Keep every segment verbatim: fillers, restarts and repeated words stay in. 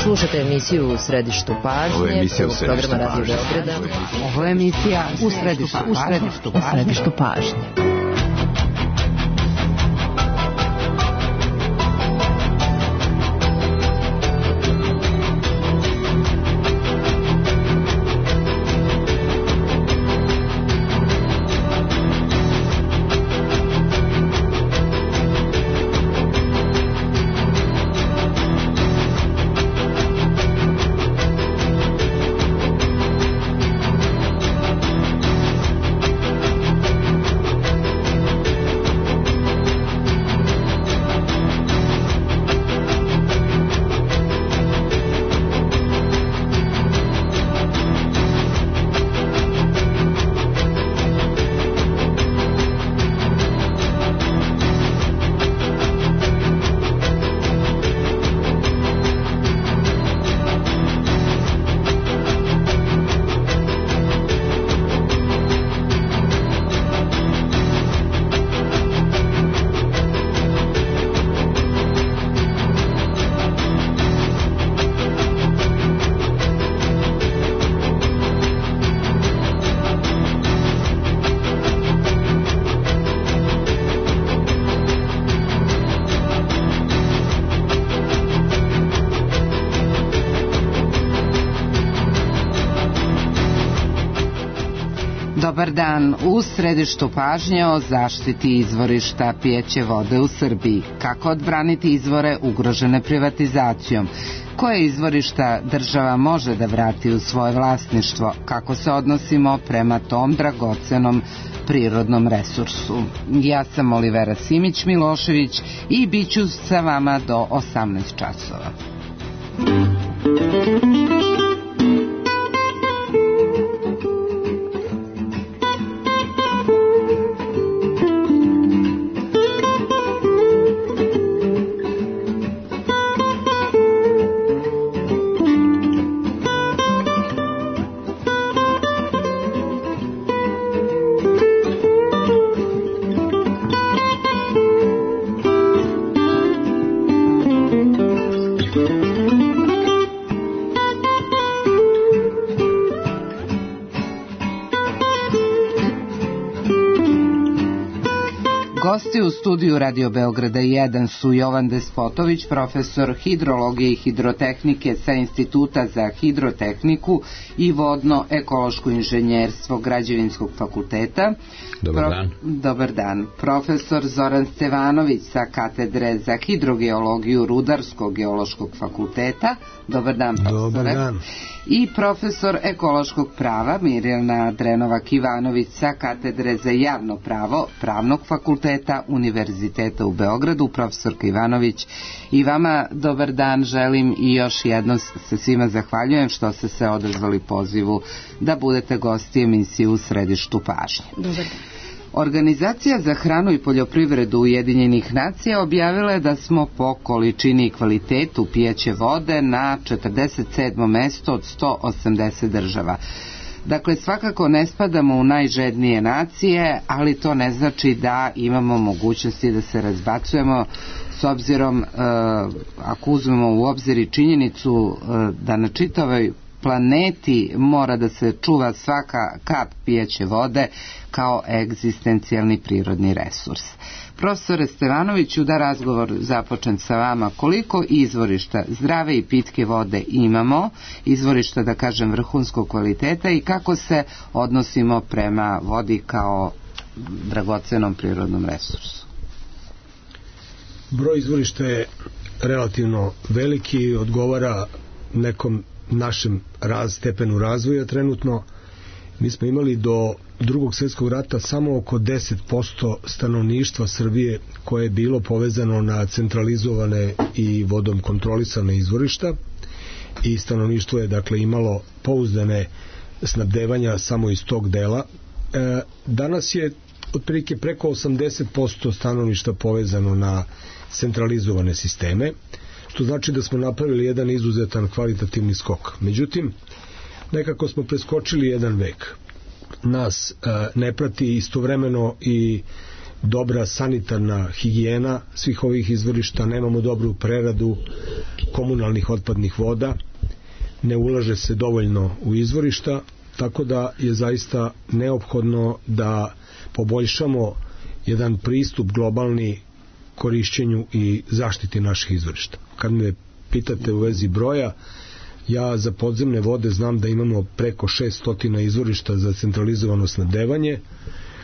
Slušajte emisiju U središtu pažnje. Ovo je emisija U središtu pažnje. Ovo je emisija U središtu pažnje. U središtu pažnje. Dobar dan. U središtu pažnje o zaštiti izvorišta pijeće vode u Srbiji. Kako odbraniti izvore ugrožene privatizacijom? Koje izvorišta država može da vrati u svoje vlasništvo? Kako se odnosimo prema tom dragocenom prirodnom resursu? Ja sam Olivera Simić-Milošević i bit ću sa vama do osamnaest časova. Gosti u studiju Radio Beograda jedan su Jovan Despotović, profesor hidrologije i hidrotehnike sa Instituta za hidrotehniku i vodno-ekološko inženjerstvo Građevinskog fakulteta. Dobar Pro... dan. Dobar dan. Profesor Zoran Stevanović sa Katedre za hidrogeologiju Rudarskog geološkog fakulteta. Dobar dan, profesore. Dobar dan. I profesor ekološkog prava Mirjana Drenovac-Ivanović sa Katedre za javno pravo Pravnog fakulteta Univerziteta u Beogradu. Profesorka Ivanović, i vama dobar dan želim i još jedno se svima zahvaljujem što ste se odazvali pozivu da budete gosti emisije U središtu pažnje. Dobar dan. Organizacija za hranu i poljoprivredu Ujedinjenih nacija objavila je da smo po količini i kvalitetu pijeće vode na četrdeset sedmom mestu od sto osamdeset država. Dakle, svakako ne spadamo u najžednije nacije, ali to ne znači da imamo mogućnosti da se razbacujemo, s obzirom, e, ako uzmemo u obzir i činjenicu e, da na čitavoj planeti mora da se čuva svaka kap pijeće vode kao egzistencijalni prirodni resurs. Profesore Stevanoviću, da razgovor započnem sa vama. Koliko izvorišta zdrave i pitke vode imamo, izvorišta da kažem vrhunskog kvaliteta, i kako se odnosimo prema vodi kao dragocenom prirodnom resursu? Broj izvorišta je relativno veliki, odgovara nekom našem raz, stepenu razvoja trenutno. Mi smo imali do drugog svjetskog rata samo oko deset posto stanovništva Srbije koje je bilo povezano na centralizovane i vodom kontrolisane izvorišta, i stanovništvo je dakle imalo pouzdane snabdevanja samo iz tog dela. E, danas je otprilike preko osamdeset posto stanovništva povezano na centralizovane sisteme, što znači da smo napravili jedan izuzetan kvalitativni skok. Međutim, nekako smo preskočili jedan vek. Nas e, ne prati istovremeno i dobra sanitarna higijena svih ovih izvorišta, nemamo dobru preradu komunalnih otpadnih voda, ne ulaže se dovoljno u izvorišta, tako da je zaista neophodno da poboljšamo jedan pristup globalni korišćenju i zaštiti naših izvorišta. Kad me pitate u vezi broja, ja za podzemne vode znam da imamo preko šesto izvorišta za centralizovano snabdevanje,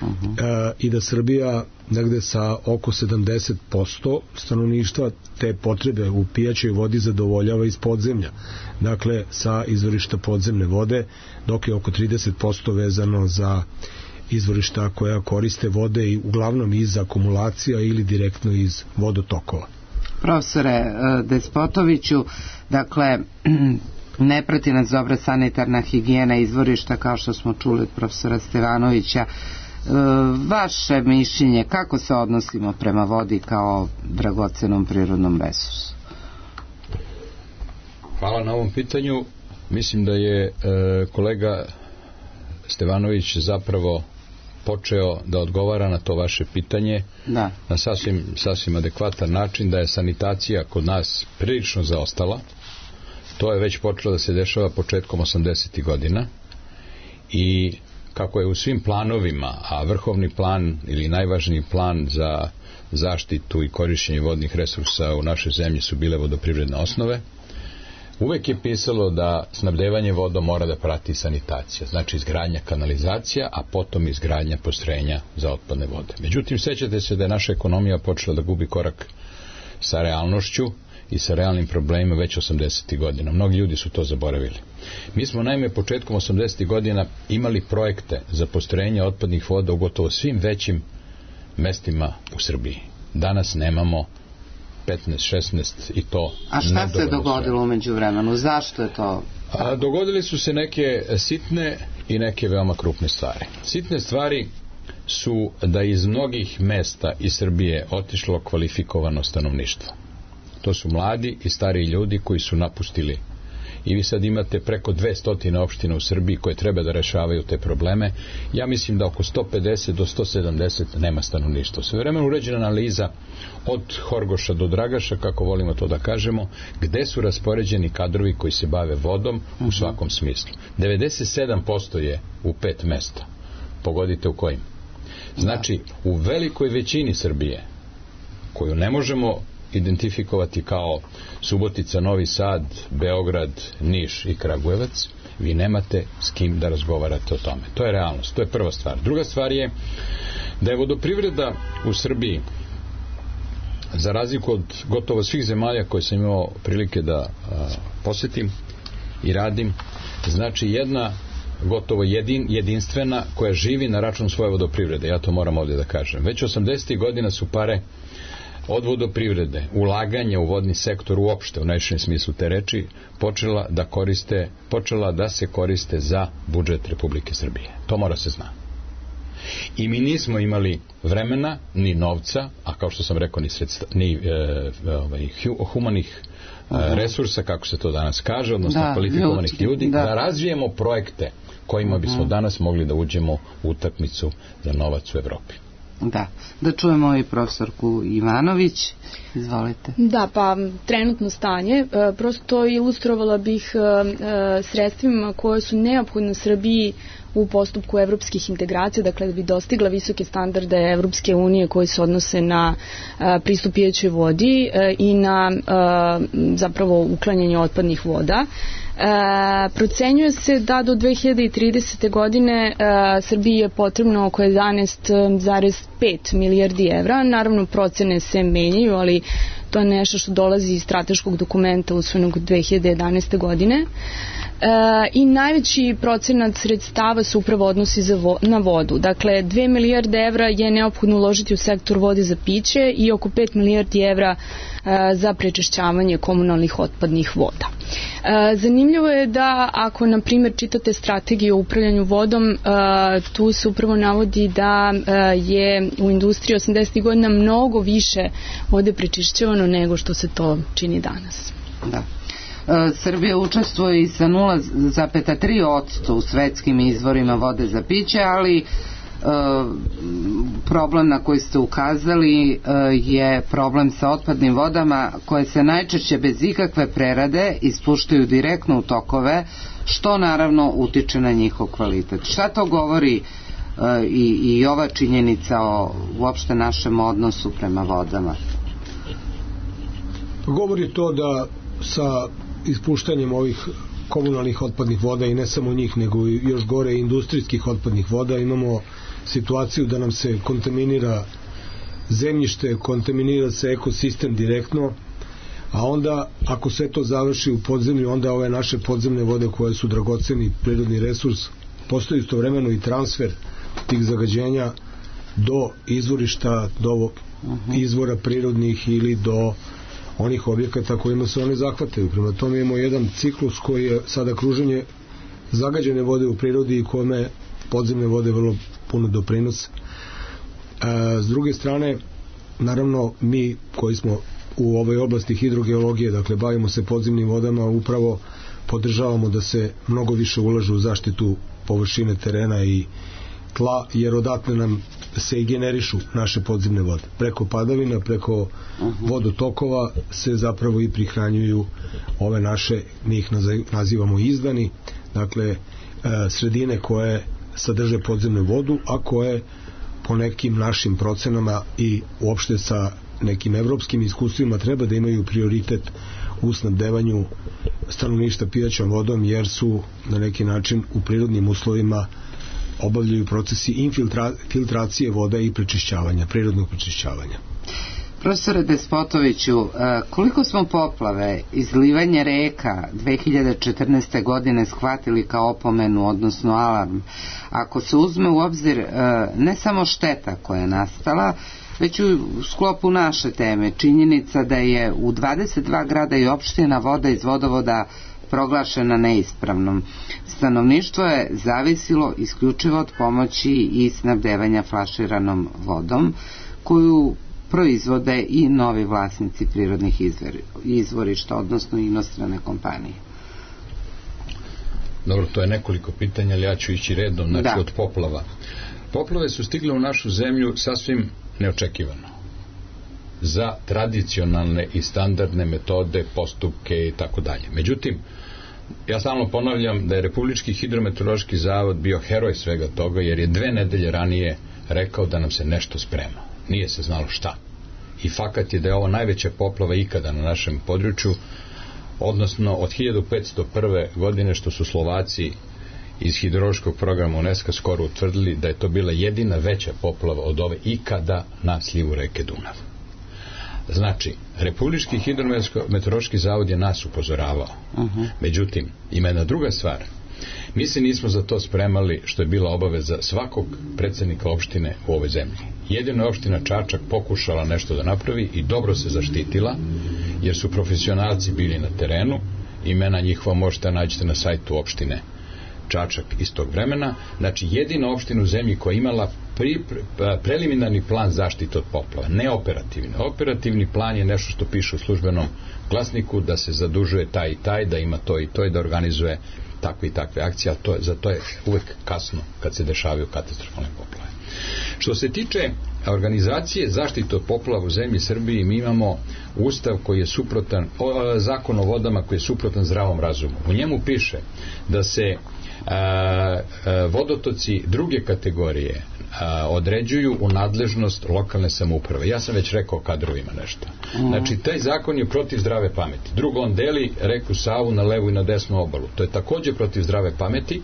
uh-huh. e, i da Srbija negde sa oko sedamdeset posto stanovništva te potrebe u pijaćoj vodi zadovoljava iz podzemlja, dakle sa izvorišta podzemne vode, dok je oko trideset posto vezano za izvorišta koja koriste vode i uglavnom iz akumulacija ili direktno iz vodotokova. Profesore Despotoviću, dakle ne prati nas dobra sanitarna higijena izvorišta, kao što smo čuli od profesora Stevanovića. Vaše mišljenje, kako se odnosimo prema vodi kao dragocenom prirodnom resursu? Hvala na ovom pitanju. Mislim da je e, kolega Stevanović zapravo počeo da odgovara na to vaše pitanje da. na sasvim, sasvim adekvatan način, da je sanitacija kod nas prilično zaostala. To je već počelo da se dešava početkom osamdesetih godina i kako je u svim planovima, a vrhovni plan ili najvažniji plan za zaštitu i korišćenje vodnih resursa u našoj zemlji su bile vodoprivredne osnove, uvek je pisalo da snabdevanje vodom mora da prati sanitacija, znači izgradnja kanalizacija, a potom izgradnja postrojenja za otpadne vode. Međutim, sećate se da je naša ekonomija počela da gubi korak sa realnošću i sa realnim problemima već osamdesetih godina. Mnogi ljudi su to zaboravili. Mi smo naime početkom osamdesetih godina imali projekte za postrojenje otpadnih voda u gotovo svim većim mestima u Srbiji. Danas nemamo petnaest šesnaest i to. A šta se dogodilo umeđu vremenu? Zašto je to? A, dogodili su se neke sitne i neke veoma krupne stvari. Sitne stvari su da iz mnogih mesta iz Srbije otišlo kvalifikovano stanovništvo. To su mladi i stariji ljudi koji su napustili. I vi sad imate preko dvesta opština u Srbiji koje treba da rešavaju te probleme. Ja mislim da oko sto pedeset do sto sedamdeset nema stanovništva. Sve vremena uređena analiza od Horgoša do Dragaša, kako volimo to da kažemo, gde su raspoređeni kadrovi koji se bave vodom u svakom smislu. devedeset sedam posto je u pet mesta. Pogodite u kojim. Znači, u velikoj većini Srbije, koju ne možemo identifikovati kao Subotica, Novi Sad, Beograd, Niš i Kragujevac, vi nemate s kim da razgovarate o tome. To je realnost, to je prva stvar. Druga stvar je da je vodoprivreda u Srbiji, za razliku od gotovo svih zemalja koje sam imao prilike da a, posetim i radim, znači jedna gotovo jedin, jedinstvena koja živi na račun svoje vodoprivrede. Ja to moram ovdje da kažem. Već osamdesetih godina su pare od vodoprivrede, ulaganja u vodni sektor uopšte, u najširem smislu te reči, počela da koriste, počela da se koriste za budžet Republike Srbije. To mora se zna. I mi nismo imali vremena, ni novca, a kao što sam rekao, ni, sredstva, ni e, ovaj, humanih e, resursa, kako se to danas kaže, odnosno da, kvalifikovanih ljudski, ljudi, da. da razvijemo projekte kojima bismo uh-huh. danas mogli da uđemo u utakmicu za novac u Evropi. Da, da čujemo i profesorku Ivanović. Izvolite. Da, pa trenutno stanje, prosto ilustrovala bih sredstvima koje su neophodne Srbiji u postupku evropskih integracija, dakle da bi dostigla visoke standarde Evropske unije koji se odnose na pristup pijaćoj vodi i na zapravo uklanjanje otpadnih voda. E, procenjuje se da do dve hiljade tridesete. godine e, Srbiji je potrebno oko jedanaest zarez pet milijardi evra. Naravno, procene se menjaju, ali to je nešto što dolazi iz strateškog dokumenta usvojenog dve hiljade jedanaeste. godine. E, i najveći procenat sredstava se upravo odnosi za vo, na vodu. Dakle, dve milijarde evra je neophodno uložiti u sektor vode za piće i oko pet milijardi evra e, za prečišćavanje komunalnih otpadnih voda. E, zanimljivo je da ako, na primjer, čitate strategiju o upravljanju vodom, e, tu se upravo navodi da e, je u industriji osamdesetih godina mnogo više vode prečišćavano nego što se to čini danas. Da. Srbija učestvuje i sa nula zarez tri posto u svetskim izvorima vode za piće, ali problem na koji ste ukazali je problem sa otpadnim vodama koje se najčešće bez ikakve prerade ispuštaju direktno u tokove, što naravno utiče na njihov kvalitet. Šta to govori i, i ova činjenica o uopšte našem odnosu prema vodama? Govori to da sa ispuštanjem ovih komunalnih otpadnih voda i ne samo njih, nego i još gore industrijskih otpadnih voda imamo situaciju da nam se kontaminira zemljište, kontaminira se ekosistem direktno, a onda ako sve to završi u podzemlju, onda ove naše podzemne vode koje su dragoceni prirodni resurs, postoji istovremeno i transfer tih zagađenja do izvorišta, do izvora prirodnih ili do onih objekata kojima se one zahvataju. Prema tome imamo jedan ciklus koji je sada kruženje zagađene vode u prirodi i kome podzemne vode vrlo puno doprinose. E, s druge strane, naravno, mi koji smo u ovoj oblasti hidrogeologije, dakle bavimo se podzemnim vodama, upravo podržavamo da se mnogo više ulažu u zaštitu površine terena i tla, jer odatle nam se i generišu naše podzemne vode. Preko padavina, preko vodotokova se zapravo i prihranjuju ove naše, mi ih nazivamo izdani, dakle sredine koje sadrže podzemnu vodu, a koje po nekim našim procenama i uopšte sa nekim evropskim iskustvima treba da imaju prioritet u snabdevanju stanovništva pijaćom vodom, jer su na neki način u prirodnim uslovima obavljaju procesi infiltracije voda i prečišćavanja, prirodnog prečišćavanja. Profesore Despotoviću, koliko smo poplave, izlivanje reka dve hiljade četrnaeste. godine shvatili kao opomenu, odnosno alarm, ako se uzme u obzir ne samo šteta koja je nastala, već u sklopu naše teme, činjenica da je u dvadeset dva grada i opština voda iz vodovoda proglašena neispravnom. Stanovništvo je zavisilo isključivo od pomoći i snabdevanja flaširanom vodom, koju proizvode i novi vlasnici prirodnih izvorišta, odnosno inostrane kompanije. Dobro, to je nekoliko pitanja, ali ja ću ići redom, znači da. Od poplava. Poplave su stigle u našu zemlju sasvim neočekivano. Za tradicionalne i standardne metode, postupke i tako dalje. Međutim, ja stalno ponavljam da je Republički hidrometeorološki zavod bio heroj svega toga, jer je dve nedelje ranije rekao da nam se nešto sprema. Nije se znalo šta. I fakat je da je ovo najveća poplava ikada na našem području, odnosno od hiljadu petsto prve. godine, što su Slovaci iz hidrološkog programa UNESCO skoro utvrdili da je to bila jedina veća poplava od ove ikada na slivu reke Dunav. Znači, Republički hidrometeorološki zavod je nas upozoravao. Uh-huh. Međutim, ima jedna druga stvar. Mi se nismo za to spremali, što je bila obaveza svakog predsjednika opštine u ovoj zemlji. Jedino je opština Čačak pokušala nešto da napravi i dobro se zaštitila, jer su profesionalci bili na terenu. Imena njihova možete naći na sajtu opštine Čačak iz tog vremena. Znači, jedina opština u zemlji koja je imala pri, pre, preliminarni plan zaštite od poplava, ne operativni. Operativni plan je nešto što piše u službenom glasniku, da se zadužuje taj i taj, da ima to i to i da organizuje takve i takve akcije, a to je, za to je uvek kasno kad se dešavaju katastrofalne poplave. Što se tiče organizacije zaštite od poplava u zemlji Srbiji, mi imamo ustav koji je suprotan, o, zakon o vodama koji je suprotan zdravom razumu. U njemu piše da se a, a, vodotoci druge kategorije a, određuju u nadležnost lokalne samouprave. Ja sam već rekao kadrovima nešto. Znači, taj zakon je protiv zdrave pameti. Drugo, on deli reku Savu na levu i na desnu obalu. To je također protiv zdrave pameti,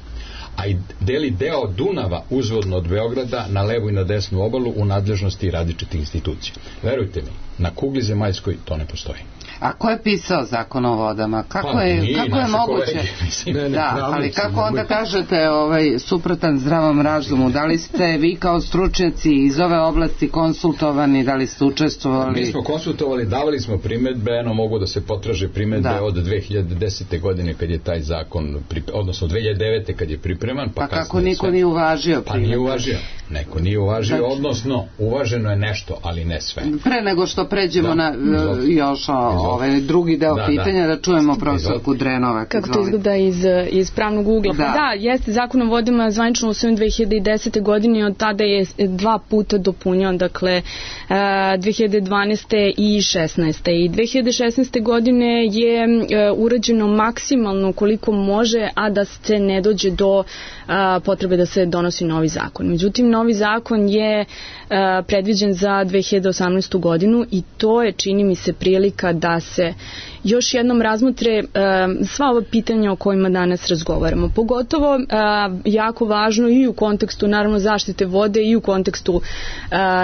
a i deli deo Dunava uzvodno od Beograda na levu i na desnu obalu u nadležnosti različitih institucija. Verujte mi, na kugli zemaljskoj to ne postoji. A ko je pisao zakon o vodama? Kako pa, je, mi, kako je moguće? Kolegi, ne, ne, da, ali kako onda kažete ovaj, suprotan zdravom razumu? Da li ste vi kao stručnjaci iz ove oblasti konsultovani, da li ste učestvovali? Mi smo konsultovali, davali smo primedbe, eno mogu da se potraže primedbe da. Od dve hiljade desete. godine kad je taj zakon, odnosno dve hiljade devete. kad je pripreman. Pa, pa kako niko sve... nije uvažio primedbe? Pa nije uvažio. neko nije uvažio, znači, odnosno uvaženo je nešto, ali ne sve. Pre nego što pređemo da, na uh, još o, ovaj drugi deo da, pitanja, da, da čujemo profesorku Drenovac. Kako to izgleda iz, iz pravnog ugla? Da. Pa da, jeste, Zakon o vodama zvanično usvojen dve hiljade desete. godine, od tada je dva puta dopunio, dakle uh, dve hiljade dvanaeste. i šesnaeste. I dve hiljade šesnaeste. godine je uh, urađeno maksimalno koliko može, a da se ne dođe do uh, potrebe da se donosi novi zakon. Međutim, novi zakon je uh, predviđen za dve hiljade osamnaestu. godinu i to je, čini mi se, prilika da se još jednom razmotre uh, sva ova pitanja o kojima danas razgovaramo. Pogotovo uh, jako važno i u kontekstu naravno zaštite vode i u kontekstu uh,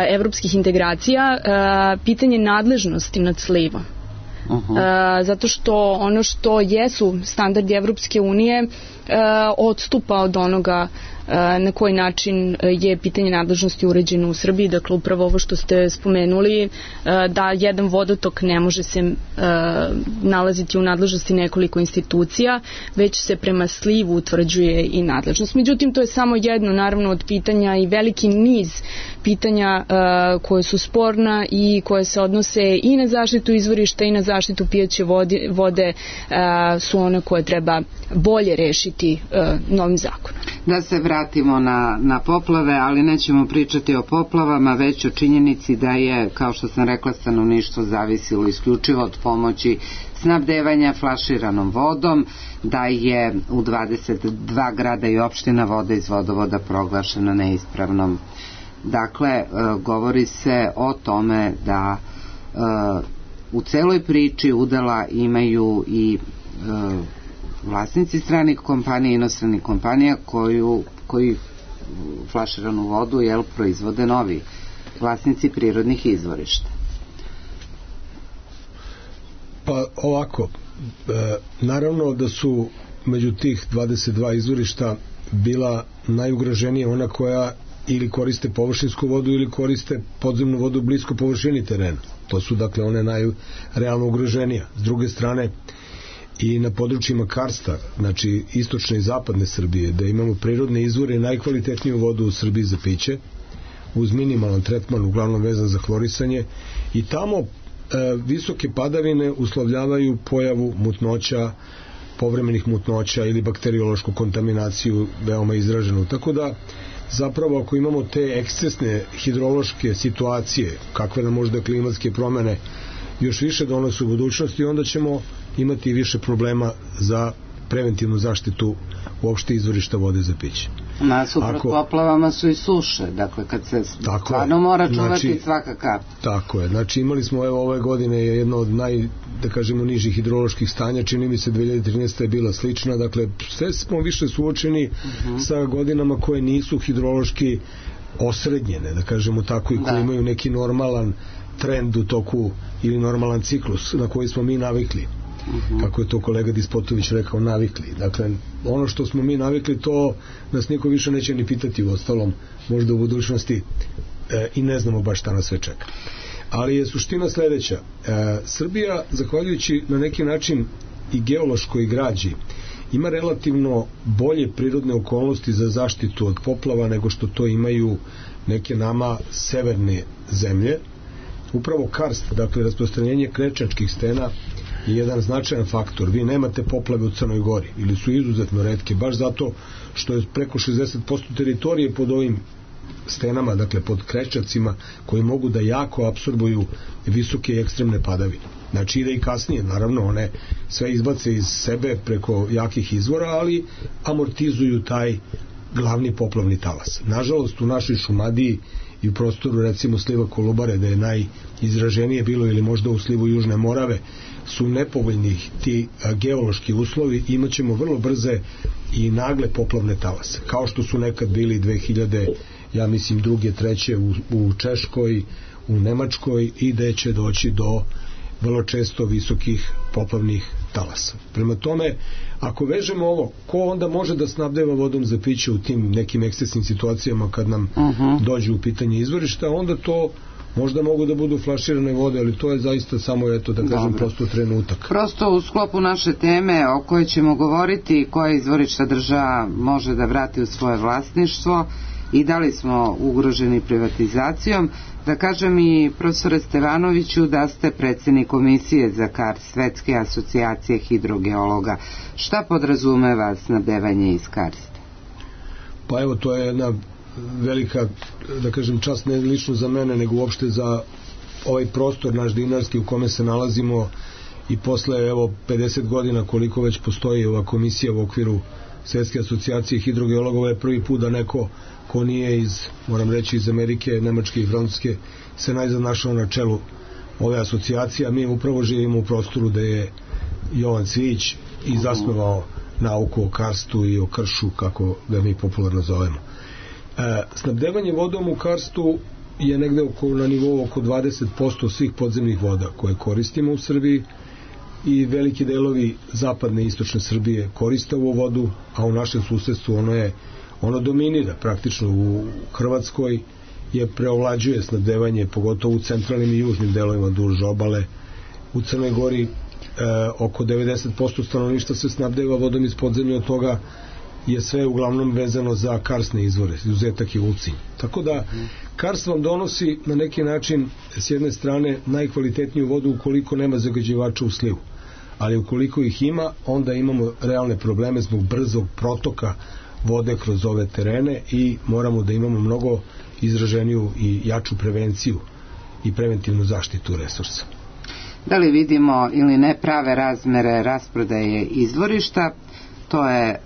evropskih integracija uh, pitanje nadležnosti nad slivom. Uh-huh. Uh, zato što ono što jesu standardi Evropske unije uh, odstupa od onoga uh, na koji način je pitanje nadležnosti uređeno u Srbiji. Dakle, upravo ovo što ste spomenuli, uh, da jedan vodotok ne može se uh, nalaziti u nadležnosti nekoliko institucija, već se prema slivu utvrđuje i nadležnost. Međutim, to je samo jedno, naravno, od pitanja i veliki niz pitanja uh, koje su sporna i koje se odnose i na zaštitu izvorišta i na zaštitu pijaće vode, vode uh, su one koje treba bolje rešiti uh, novim zakonom. Da se vratimo na, na poplave, ali nećemo pričati o poplavama, već o činjenici da je, kao što sam rekla, stanovništvo zavisilo isključivo od pomoći snabdevanja flaširanom vodom, da je u dvadeset dva grada i opština voda iz vodovoda proglašena neispravnom. Dakle, govori se o tome da u celoj priči udela imaju i vlasnici stranih kompanija, inostranih kompanija koju, koji flaširanu vodu jel, proizvode novi vlasnici prirodnih izvorišta. Pa ovako, e, naravno da su među tih dvadeset dva izvorišta bila najugroženija ona koja ili koriste površinsku vodu ili koriste podzemnu vodu blisko površini terena. To su dakle one najrealno ugroženija. S druge strane, i na područjima karsta, znači istočne i zapadne Srbije, da imamo prirodne izvore i najkvalitetniju vodu u Srbiji za piće, uz minimalan tretman, uglavnom vezan za hlorisanje, i tamo e, visoke padavine uslovljavaju pojavu mutnoća, povremenih mutnoća ili bakteriološku kontaminaciju veoma izraženu. Tako da, zapravo, ako imamo te ekscesne hidrološke situacije, kakve nam možda klimatske promene još više donose u budućnosti, onda ćemo imati više problema za preventivnu zaštitu uopšte izvorišta vode za piće. Nasuprot Ako, poplavama su i suše, dakle kad se stvarno mora čuvati znači, svaka kap. Tako je, znači imali smo evo ove godine jedno od naj, da kažemo, nižih hidroloških stanja, čini mi se dve hiljade trinaesta. je bila slična, dakle sve smo više suočeni uh-huh. sa godinama koje nisu hidrološki osrednjene, da kažemo tako, i koje da. imaju neki normalan trend u toku ili normalan ciklus na koji smo mi navikli. Uh-huh. Kako je to kolega Dispotović rekao, navikli. Dakle, ono što smo mi navikli, to nas niko više neće ni pitati, u ostalom, možda u budućnosti e, i ne znamo baš šta nas sve čeka. Ali je suština sledeća. E, Srbija, zahvaljujući na neki način i geološkoj građi, ima relativno bolje prirodne okolnosti za zaštitu od poplava nego što to imaju neke nama severne zemlje. Upravo karst, dakle rasprostranjenje krečačkih stena, je jedan značajan faktor. Vi nemate poplave u Crnoj Gori, ili su izuzetno retke, baš zato što je preko šezdeset posto teritorije pod ovim stenama, dakle pod krečacima, koji mogu da jako apsorbuju visoke i ekstremne padavine. Znači ide i kasnije, naravno, one sve izbace iz sebe preko jakih izvora, ali amortizuju taj glavni poplavni talas. Nažalost, u našoj Šumadiji i u prostoru, recimo, sliva Kolubare, da je najizraženije bilo, ili možda u slivu Južne Morave, su nepovoljni ti geološki uslovi, imat ćemo vrlo brze i nagle poplavne talase, kao što su nekad bili dve hiljade, ja mislim, druge, treće u, u Češkoj, u Nemačkoj, i da će doći do vrlo često visokih poplavnih talasa. Prema tome, ako vežemo ovo, ko onda može da snabdeva vodom za piće u tim nekim ekscesnim situacijama kad nam uh-huh. dođe u pitanje izvorišta, onda to možda mogu da budu flaširane vode, ali to je zaista samo, eto, da kažem, Dobre. prosto trenutak. Prosto u sklopu naše teme o kojoj ćemo govoriti, koje izvorišta država može da vrati u svoje vlasništvo, i da li smo ugroženi privatizacijom. Da kažem i profesore Stevanoviću da ste predsjednik komisije za karst Svetske asocijacije hidrogeologa. Šta podrazumeva snabdevanje iz karsta? Pa evo, to je jedna velika, da kažem, čast ne lično za mene, nego uopšte za ovaj prostor naš dinarski u kome se nalazimo i posle evo pedeset godina koliko već postoji ova komisija u okviru Svetske asocijacije hidrogeologova, je prvi put da neko ko nije iz, moram reći, iz Amerike, Nemačke i Francuske se najzad našao na čelu ove asocijacije, a mi upravo živimo u prostoru da je Jovan Cvijić i zasnovao nauku o karstu i o kršu, kako ga mi popularno zovemo. E, snabdevanje vodom u karstu je negde oko, na nivou oko dvadeset posto svih podzemnih voda koje koristimo u Srbiji i veliki delovi zapadne i istočne Srbije koriste ovu vodu, a u našem susedstvu ono je ono dominira praktično. U Hrvatskoj je preovlađuje snabdevanje, pogotovo u centralnim i južnim delovima duž obale. U Crnoj Gori e, oko devedeset posto stanovništva se snabdeva vodom iz podzemlja, od toga je sve uglavnom vezano za karsne izvore, izuzetak je Ulcinj. Tako da karst vam donosi na neki način s jedne strane najkvalitetniju vodu ukoliko nema zagađivača u slivu, ali ukoliko ih ima, onda imamo realne probleme zbog brzog protoka vode kroz ove terene i moramo da imamo mnogo izraženiju i jaču prevenciju i preventivnu zaštitu resursa. Da li vidimo ili ne prave razmere rasprodaje izvorišta? To je e,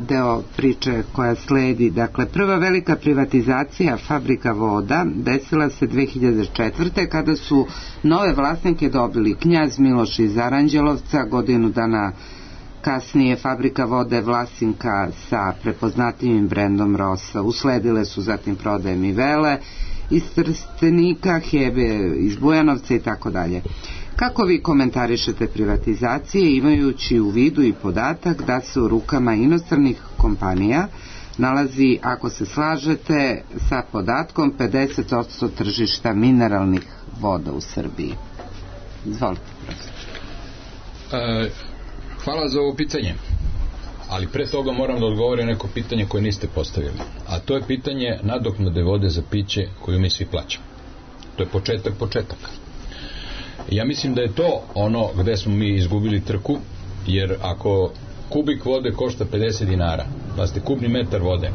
deo priče koja sledi. Dakle, prva velika privatizacija fabrika voda desila se dve hiljade četvrte. kada su nove vlasnike dobili knjaz Miloš iz Aranđelovca, godinu dana kasnije fabrika vode Vlasinka sa prepoznatljivim brendom Rosa. Usledile su zatim prodaje Mivele iz Trstenika, Hebe iz Bujanovca i tako dalje. Kako vi komentarišete privatizacije, imajući u vidu i podatak da se u rukama inostranih kompanija nalazi, ako se slažete sa podatkom, pedeset posto tržišta mineralnih voda u Srbiji? Izvolite, profesor. E, hvala za ovo pitanje, ali pre toga moram da odgovorim neko pitanje koje niste postavili, a to je pitanje nadoknade vode za piće koju mi svi plaćamo. To je početak početaka. Ja mislim da je to ono gde smo mi izgubili trku, jer ako kubik vode košta pedeset dinara, pa ste kubni metar vode,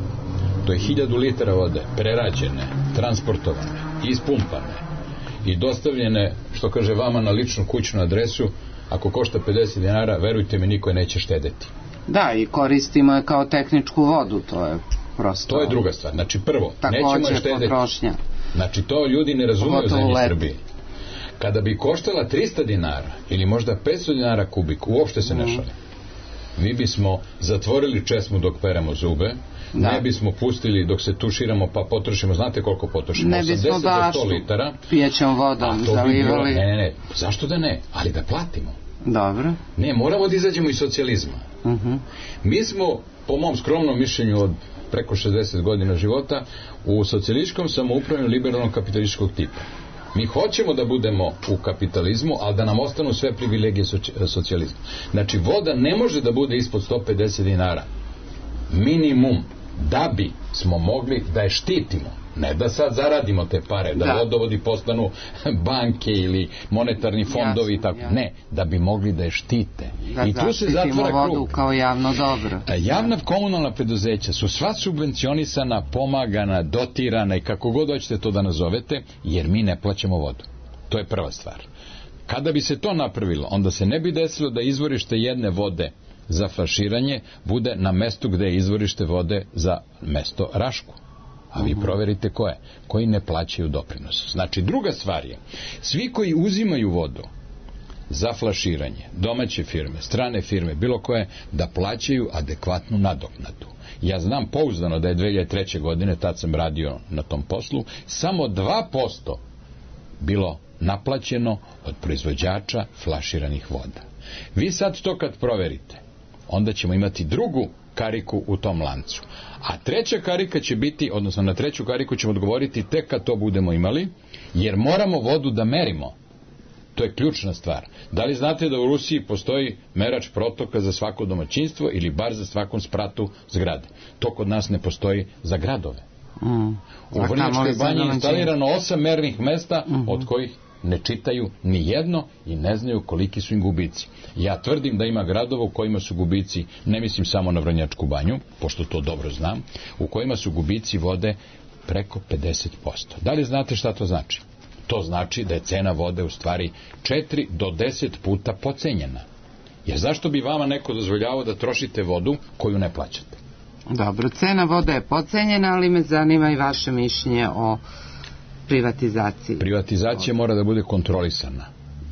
to je hiljadu litara vode, prerađene, transportovane, ispumpane i dostavljene, što kaže, vama na ličnu kućnu adresu. Ako košta pedeset dinara, verujte mi, niko je neće štedeti. Da, i koristimo je kao tehničku vodu, to je prosto... To je druga stvar. Znači, prvo, nećemo je štedeti. Potrošnja. Znači, to ljudi ne razumeju za njih Srbije. Kada bi koštala trista dinara ili možda petsto dinara kubik, uopšte se ne šali. Mi bismo zatvorili česmu dok peremo zube, da. Ne bismo pustili dok se tuširamo pa potrošimo, znate koliko potrošimo? Ne bismo baš pijećom vodom zalivali. Ne, ne, ne, zašto da ne? Ali da platimo. Dobro. Ne, moramo da izađemo iz socijalizma. Uh-huh. Mi smo, po mom skromnom mišljenju od preko šezdeset godina života, u socijalističkom samoupravljanju liberalnog kapitalističkog tipa. Mi hoćemo da budemo u kapitalizmu, ali da nam ostanu sve privilegije socijalizma. Znači, voda ne može da bude ispod sto pedeset dinara. Minimum, da bi smo mogli da je štitimo. Ne da sad zaradimo te pare, da, da. vodovodi postanu banke ili monetarni fondovi i tako. Jasno. Ne, da bi mogli da je štite. Da, i tu se zatvara vodu krug. Kao javno dobro. Javna komunalna preduzeća su sva subvencionisana, pomagana, dotirana i kako god hoćete to da nazovete, jer mi ne plaćamo vodu. To je prva stvar. Kada bi se to napravilo, onda se ne bi desilo da izvorište jedne vode za flaširanje bude na mestu gde je izvorište vode za mesto Rašku. A vi proverite ko je, koji ne plaćaju doprinos. Znači, druga stvar je, svi koji uzimaju vodu za flaširanje, domaće firme, strane firme, bilo koje, da plaćaju adekvatnu nadoknadu. Ja znam pouzdano da je dve hiljade treće. godine, tad sam radio na tom poslu, samo dva posto bilo naplaćeno od proizvođača flaširanih voda. Vi sad to kad proverite, onda ćemo imati drugu kariku u tom lancu. A treća karika će biti, odnosno na treću kariku ćemo odgovoriti tek kad to budemo imali, jer moramo vodu da merimo. To je ključna stvar. Da li znate da u Rusiji postoji merač protoka za svako domaćinstvo ili bar za svakom spratu zgrade? To kod nas ne postoji za gradove. Mm. U Vrnjačkoj banji je instalirano osam mernih mesta, mm-hmm. od kojih ne čitaju ni jedno i ne znaju koliki su im gubici. Ja tvrdim da ima gradova u kojima su gubici, ne mislim samo na Vrnjačku banju, pošto to dobro znam, u kojima su gubici vode preko pedeset posto. Da li znate šta to znači? To znači da je cena vode u stvari četiri do deset puta pocenjena. Jer zašto bi vama neko dozvoljavao da trošite vodu koju ne plaćate? Dobro, cena vode je pocenjena, ali me zanima i vaše mišljenje o privatizaciji. Privatizacija mora da bude kontrolisana,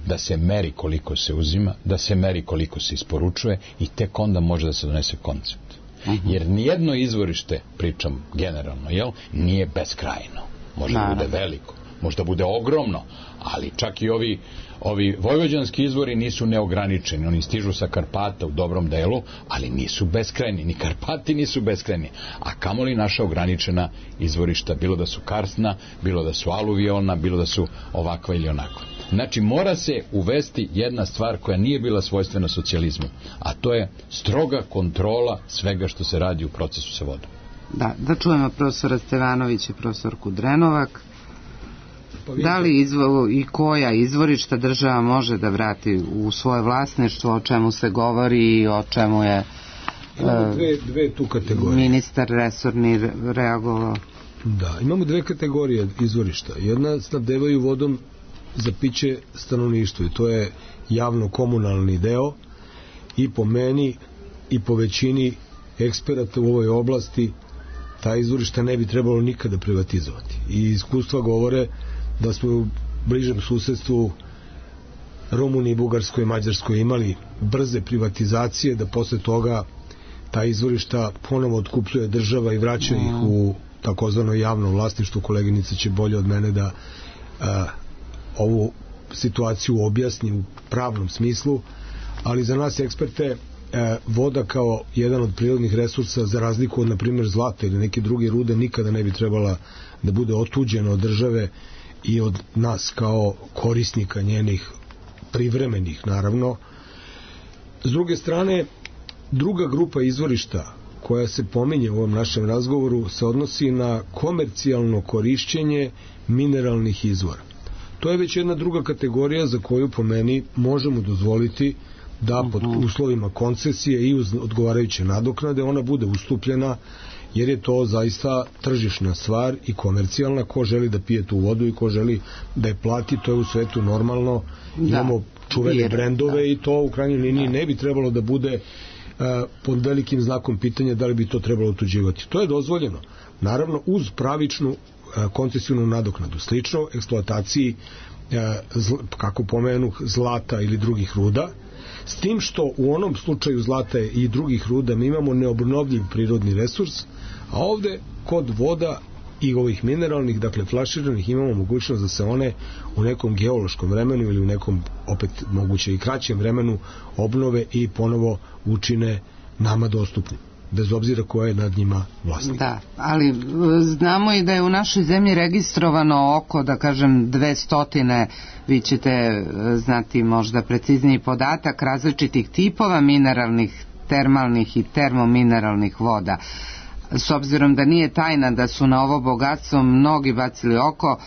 da se meri koliko se uzima, da se meri koliko se isporučuje i tek onda može da se donese koncept. Uh-huh. Jer nijedno izvorište, pričam generalno, jel, nije beskrajno. Može da bude veliko, može da bude ogromno, ali čak i ovi, ovi vojvođanski izvori nisu neograničeni. Oni stižu sa Karpata u dobrom delu, ali nisu beskrajni. Ni Karpati nisu beskrajni. A kamoli naša ograničena izvorišta, bilo da su karsna, bilo da su aluvijalna, bilo da su ovakva ili onakva. Znači, mora se uvesti jedna stvar koja nije bila svojstvena socijalizmu, a to je stroga kontrola svega što se radi u procesu sa vodom. Da, da čujemo profesora Stevanovića, profesorku Drenovak. Da li izvo, i koja izvorišta država može da vrati u svoje vlasništvo, o čemu se govori i o čemu je imamo dve, dve tu kategorije. Ministar resorni reagovao? Da, imamo dve kategorije izvorišta. Jedna snabdevaju vodom za piće stanovništvo i to je javno-komunalni deo i po meni i po većini eksperata u ovoj oblasti ta izvorišta ne bi trebalo nikada privatizovati. I iskustva govore da smo u bližem susedstvu Rumuniji, Bugarskoj i Mađarskoj imali brze privatizacije, da posle toga ta izvorišta ponovo otkupljuje država i vraća ih u takozvano javno vlasništvo. Koleginica će bolje od mene da a, ovu situaciju objasni u pravnom smislu, ali za nas eksperte a, voda kao jedan od prirodnih resursa, za razliku od, na primjer, zlata ili neke druge rude, nikada ne bi trebala da bude otuđena od države i od nas kao korisnika njenih privremenih, naravno. S druge strane, druga grupa izvorišta koja se pominje u ovom našem razgovoru se odnosi na komercijalno korišćenje mineralnih izvora. To je već jedna druga kategorija za koju po meni možemo dozvoliti da pod uslovima koncesije i uz odgovarajuće nadoknade ona bude ustupljena, jer je to zaista tržišna stvar i komercijalna. Ko želi da pije tu vodu i ko želi da je plati, to je u svetu normalno. Da, imamo čuvene brendove da. I to u krajnjoj liniji da. Ne bi trebalo da bude uh, pod velikim znakom pitanja da li bi to trebalo otuđivati. To je dozvoljeno, naravno uz pravičnu uh, koncesijnu nadoknadu, slično eksploataciji uh, zl, kako pomenu zlata ili drugih ruda, s tim što u onom slučaju zlata i drugih ruda mi imamo neobnovljiv prirodni resurs, a ovde kod voda i ovih mineralnih, dakle flaširanih, imamo mogućnost da se one u nekom geološkom vremenu ili u nekom, opet moguće i kraćem vremenu, obnove i ponovo učine nama dostupni, bez obzira ko je nad njima vlasnik. Da, ali znamo i da je u našoj zemlji registrovano oko, da kažem, dvestotine, vi ćete znati možda precizniji podatak, različitih tipova mineralnih, termalnih i termomineralnih voda. S obzirom da nije tajna da su na ovo bogatstvo mnogi bacili oko,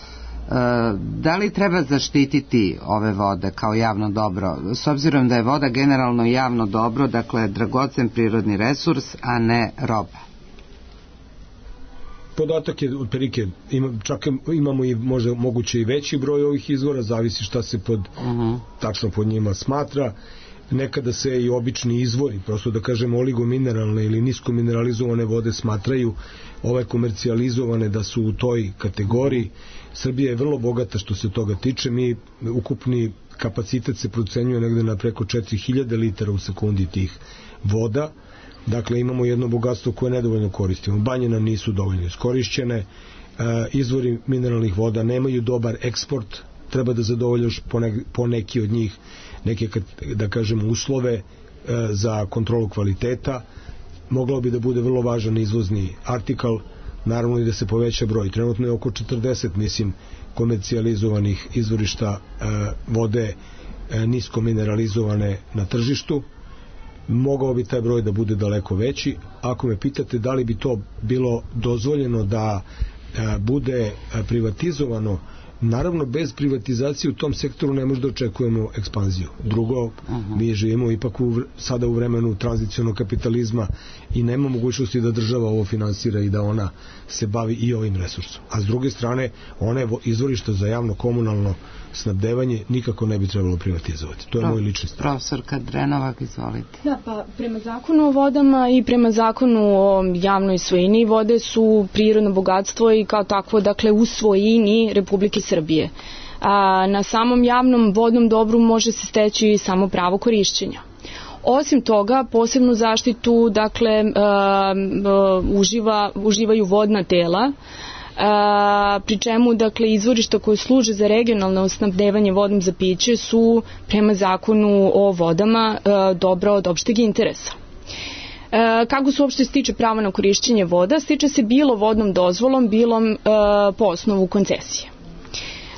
da li treba zaštititi ove vode kao javno dobro? S obzirom da je voda generalno javno dobro, dakle dragocen prirodni resurs, a ne roba. Podatak je otprilike, ima, čak imamo i možda moguće i veći broj ovih izvora, zavisi šta se pod, uh-huh. tačno pod njima smatra. Nekada se i obični izvori, prosto da kažemo oligomineralne ili niskomineralizovane vode smatraju ove komercijalizovane da su u toj kategoriji. Srbija je vrlo bogata što se toga tiče. Mi ukupni kapacitet se procenjuje negde na preko četiri hiljade litara u sekundi tih voda. Dakle, imamo jedno bogatstvo koje nedovoljno koristimo. Banje nam nisu dovoljno iskorišćene, izvori mineralnih voda nemaju dobar eksport, treba da zadovoljaš po neki od njih neke, da kažemo, uslove za kontrolu kvaliteta. Moglo bi da bude vrlo važan izvozni artikal, naravno i da se poveća broj. Trenutno je oko četrdeset, mislim, komercijalizovanih izvorišta vode nisko mineralizovane na tržištu. mogao bi taj broj da bude daleko veći. Ako me pitate da li bi to bilo dozvoljeno da e, bude privatizovano, naravno bez privatizacije u tom sektoru ne možda očekujemo ekspanziju. Drugo, uh-huh. mi živimo ipak u, sada u vremenu tranzicionog kapitalizma i nema mogućnosti da država ovo finansira i da ona se bavi i ovim resursom. A s druge strane, one izvorišta za javno komunalno snabdevanje nikako ne bi trebalo privatizovati. To je Pro, moj lični stav. Profesorka Drenovak, izvolite. Da, pa prema zakonu o vodama i prema zakonu o javnoj svojini, vode su prirodno bogatstvo i kao takvo, dakle, u svojini Republike Srbije. A, na samom javnom vodnom dobru može se steći samo pravo korišćenja. Osim toga, posebnu zaštitu, dakle, a, a, uživa, uživaju vodna tela, A, pri čemu, dakle, izvorišta koje služe za regionalno snabdevanje vodom za piće su prema zakonu o vodama a, dobra od opšteg interesa. A, kako se uopšte stiče pravo na korišćenje voda? Stiče se bilo vodnom dozvolom, bilo a, po osnovu koncesije.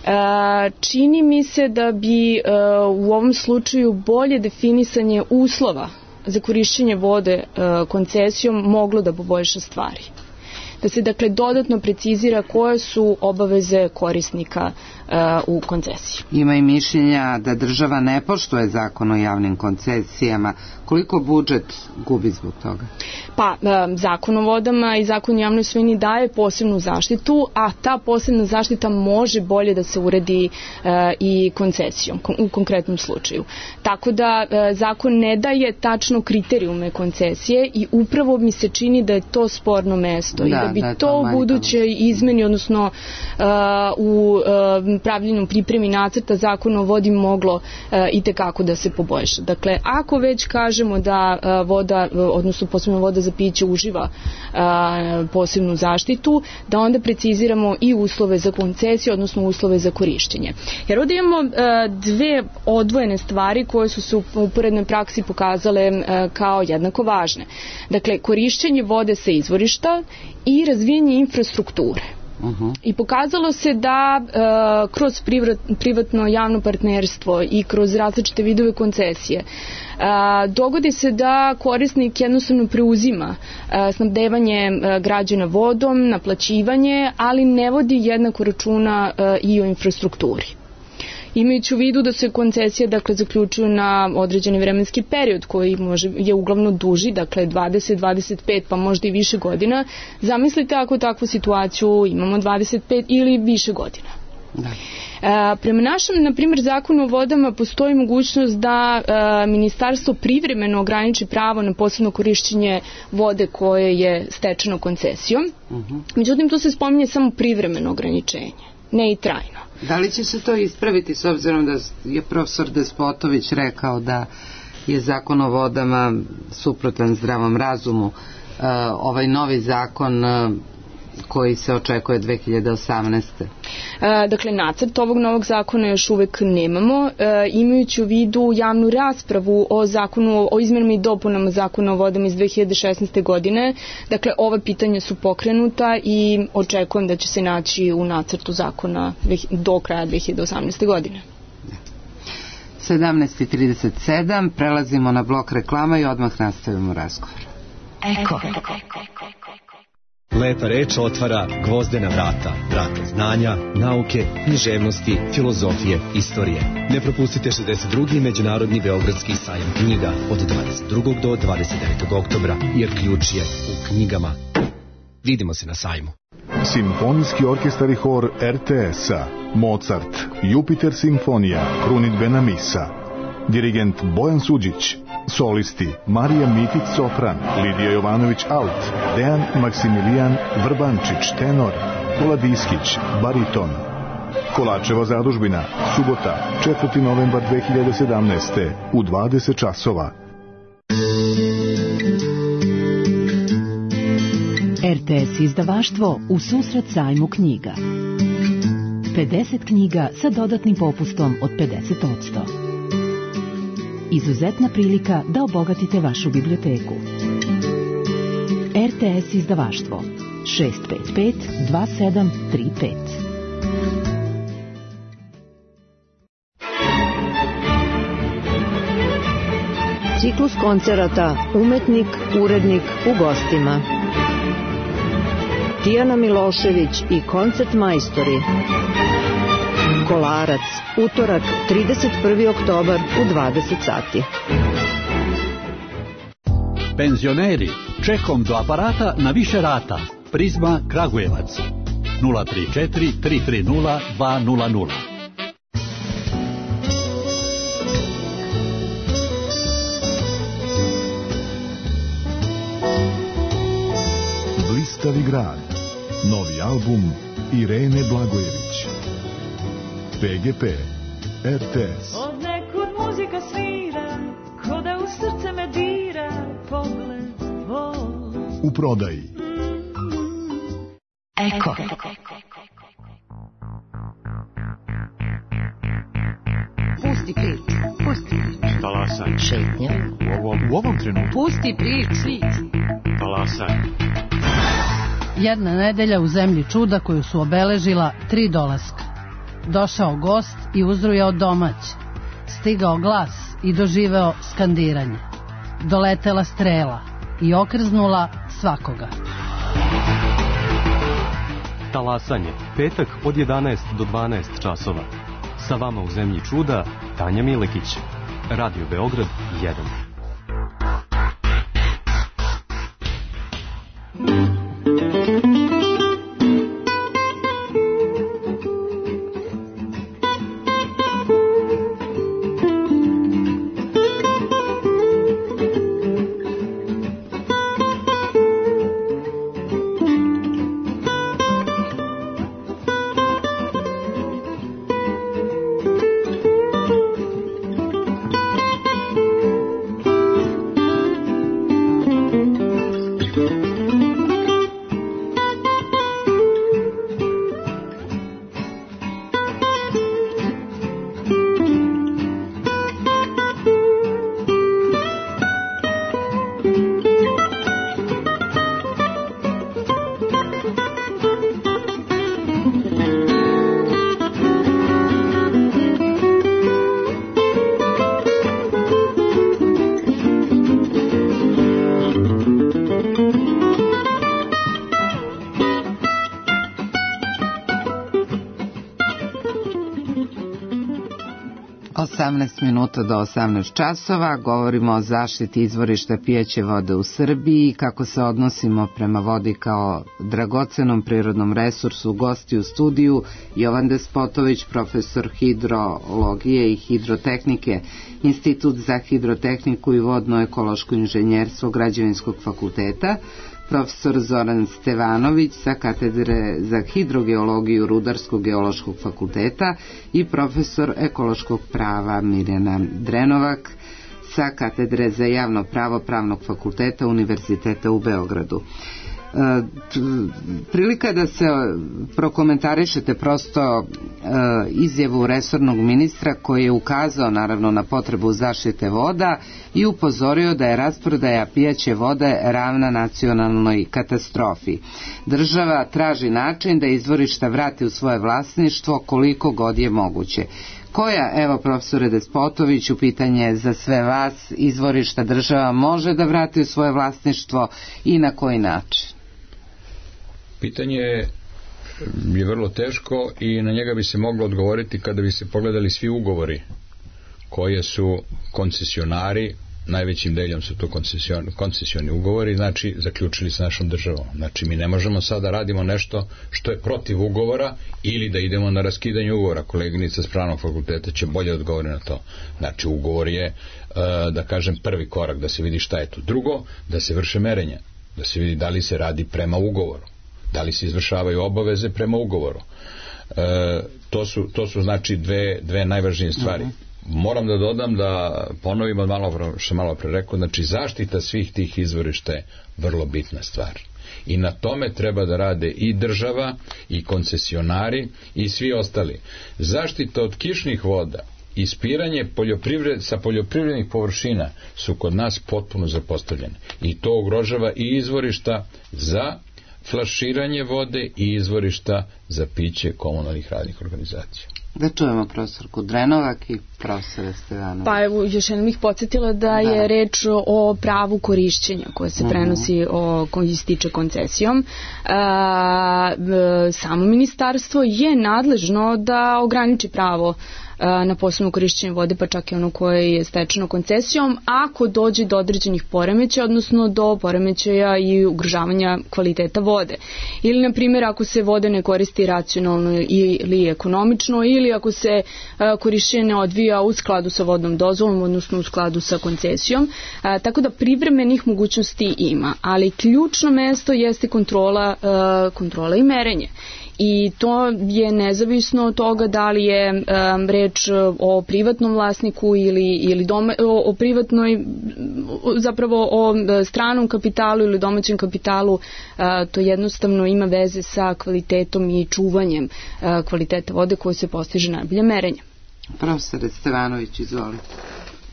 A, čini mi se da bi a, u ovom slučaju bolje definisanje uslova za korišćenje vode a, koncesijom moglo da poboljša stvari. Da se, dakle, dodatno precizira koje su obaveze korisnika uh, u koncesiji. Ima i mišljenja da država ne poštuje zakon o javnim koncesijama. Koliko budžet gubi zbog toga? Pa, uh, zakon o vodama i zakon o javnoj svojini daje posebnu zaštitu, a ta posebna zaštita može bolje da se uredi uh, i koncesijom, u konkretnom slučaju. Tako da uh, zakon ne daje tačno kriterijume koncesije i upravo mi se čini da je to sporno mesto. Da. I da bi da, to, to u buduće izmeni, odnosno uh, u uh, pravljenju pripremi nacrta zakona o vodi moglo uh, i tekako da se poboljša. Dakle, ako već kažemo da uh, voda, uh, odnosno posebno voda za piće uživa uh, posebnu zaštitu, da onda preciziramo i uslove za koncesiju, odnosno uslove za korišćenje. Jer ovdje imamo uh, dve odvojene stvari koje su se u uporednoj praksi pokazale uh, kao jednako važne. Dakle, korišćenje vode sa izvorišta i razvijanje infrastrukture. Uh-huh. I pokazalo se da uh, kroz privat, privatno javno partnerstvo i kroz različite vidove koncesije uh, dogodi se da korisnik jednostavno preuzima uh, snabdevanje uh, građana vodom, naplaćivanje, ali ne vodi jednako računa uh, i o infrastrukturi. Imajući u vidu da se koncesije, dakle, zaključuju na određeni vremenski period koji može, je uglavnom duži, dakle dvadeset, dvadeset pet pa možda i više godina, zamislite ako takvu situaciju imamo dvadeset pet ili više godina. Da. E, prema našem, na primjer, zakonu o vodama postoji mogućnost da e, ministarstvo privremeno ograniči pravo na posebno korišćenje vode koje je stečeno koncesijom. Uh-huh. Međutim, tu se spominje samo privremeno ograničenje, ne i trajno. Da li će se to ispraviti s obzirom da je profesor Despotović rekao da je zakon o vodama suprotan zdravom razumu? Uh, ovaj novi zakon uh, koji se očekuje dve hiljade osamnaeste. E, dakle, nacrt ovog novog zakona još uvek nemamo. E, imajući u vidu javnu raspravu o zakonu, o izmenama i dopunama zakona o vodama iz dve hiljade šesnaeste. godine, dakle, ova pitanja su pokrenuta i očekujem da će se naći u nacrtu zakona do kraja dve hiljade osamnaeste. godine. sedamnaest i trideset sedam, prelazimo na blok reklama i odmah nastavimo razgovor. Eko. Lepa reč otvara gvozdena vrata, vrata znanja, nauke, književnosti, filozofije, istorije. Ne propustite šezdeset drugi Međunarodni beogradski sajam knjiga od dvadeset drugog do dvadeset devetog oktobra, jer ključ je u knjigama. Vidimo se na sajmu. Simfonijski orkestar i hor er te es-a, Mozart, Jupiter simfonija, krunidbena misa. Dirigent Bojan Suđić. Solisti Marija Mitić sopran, Lidija Jovanović alt, Dejan Maksimilijan Vrbančić tenor, Kula Diskić bariton. Kolačeva zadužbina, subota, četvrti novembar dve hiljade sedamnaeste. u dvadeset časova. er te es izdavaštvo u susret sajmu knjiga. pedeset knjiga sa dodatnim popustom od pedeset posto. Izuzetna prilika da obogatite vašu biblioteku. er te es izdavaštvo šest pet pet dva sedam tri pet. Ciklus koncerata Umetnik, urednik u gostima. Tijana Milošević i koncert majstori. Kolarac, utorak, trideset prvi oktobar u dvadeset sati. Penzioneri, čekom do aparata na više rata. Prizma Kragujevac. nula tri četiri tri tri nula dva nula nula. Blistavi grad. Novi album Irene Blagojević. P G P, R T S. Od nekud muzika svira, ko da u srce me dira, pogled tvoj. U prodaji. Eko. Pusti prič, pusti prič. Talasaj. Šetnja. U ovom, u ovom trenutku. Pusti prič. Talasaj. Jedna nedelja u zemlji čuda koju su obeležila tri dolaska. Došao gost i uzrujao domać. Stigao glas i doživeo skandiranje. Doletela strela i okrznula svakoga. Talasanje, petak od jedanaest do dvanaest časova. Sa vama u zemlji čuda, Tanja Milekić. Radio Beograd jedan. osamnaest minuta do osamnaest časova. Govorimo o zaštiti izvorišta pijeće vode u Srbiji, kako se odnosimo prema vodi kao dragocenom prirodnom resursu. Gosti u studiju Jovan Despotović, profesor hidrologije i hidrotehnike, Institut za hidrotehniku i vodno-ekološko inženjerstvo Građevinskog fakulteta, profesor Zoran Stevanović sa katedre za hidrogeologiju Rudarskog geološkog fakulteta i profesor ekološkog prava Mirjana Drenovak sa katedre za javno pravo Pravnog fakulteta Univerziteta u Beogradu. E, prilika da se prokomentarišete prosto e, izjavu resornog ministra koji je ukazao naravno na potrebu zaštite voda i upozorio da je rasprodaja pijaće vode ravna nacionalnoj katastrofi. Država traži način da izvorišta vrati u svoje vlasništvo koliko god je moguće. Koja, evo profesore Despotoviću, pitanje za sve vas, izvorišta država može da vrati u svoje vlasništvo i na koji način? Pitanje je vrlo teško i na njega bi se moglo odgovoriti kada bi se pogledali svi ugovori koje su koncesionari, najvećim delom su to koncesion, koncesioni ugovori, znači zaključili sa našom državom. Znači mi ne možemo sada da radimo nešto što je protiv ugovora ili da idemo na raskidanje ugovora. Koleginica s Pravnog fakulteta će bolje odgovoriti na to. Znači ugovor je, da kažem, prvi korak da se vidi šta je to. Drugo, da se vrše merenja, da se vidi da li se radi prema ugovoru, da li se izvršavaju obaveze prema ugovoru. E, to su, to su znači dve, dve najvažnije stvari. Moram da dodam, da ponovim od malo, što sam malo pre rekao, znači zaštita svih tih izvorišta je vrlo bitna stvar. I na tome treba da rade i država, i koncesionari, i svi ostali. Zaštita od kišnih voda, ispiranje poljoprivred, sa poljoprivrednih površina su kod nas potpuno zapostavljene. I to ugrožava i izvorišta za flaširanje vode i izvorišta za piće komunalnih radnih organizacija. Da čujemo profesorku Drenovac i profesora Stevanović. Pa evo, još jednom ih podsjetila da, da je reč o pravu korišćenja koje se prenosi, o, koji se tiče koncesijom. A, samo ministarstvo je nadležno da ograniči pravo na posebno korišćenje vode, pa čak i ono koje je stečeno koncesijom, ako dođe do određenih poremećaja, odnosno do poremećaja i ugrožavanja kvaliteta vode. Ili, na primjer, ako se voda ne koristi racionalno ili ekonomično, ili ako se korišćenje ne odvija u skladu sa vodnom dozvolom, odnosno u skladu sa koncesijom. A, tako da privremenih mogućnosti ima, ali ključno mesto jeste kontrola, a, kontrola i merenje. I to je nezavisno od toga da li je um, reč o privatnom vlasniku ili, ili doma, o, o privatnoj, zapravo o stranom kapitalu ili domaćem kapitalu. Uh, to jednostavno ima veze sa kvalitetom i čuvanjem uh, kvaliteta vode koje se postiže najbolje merenje. Profesor Stevanović, izvolite.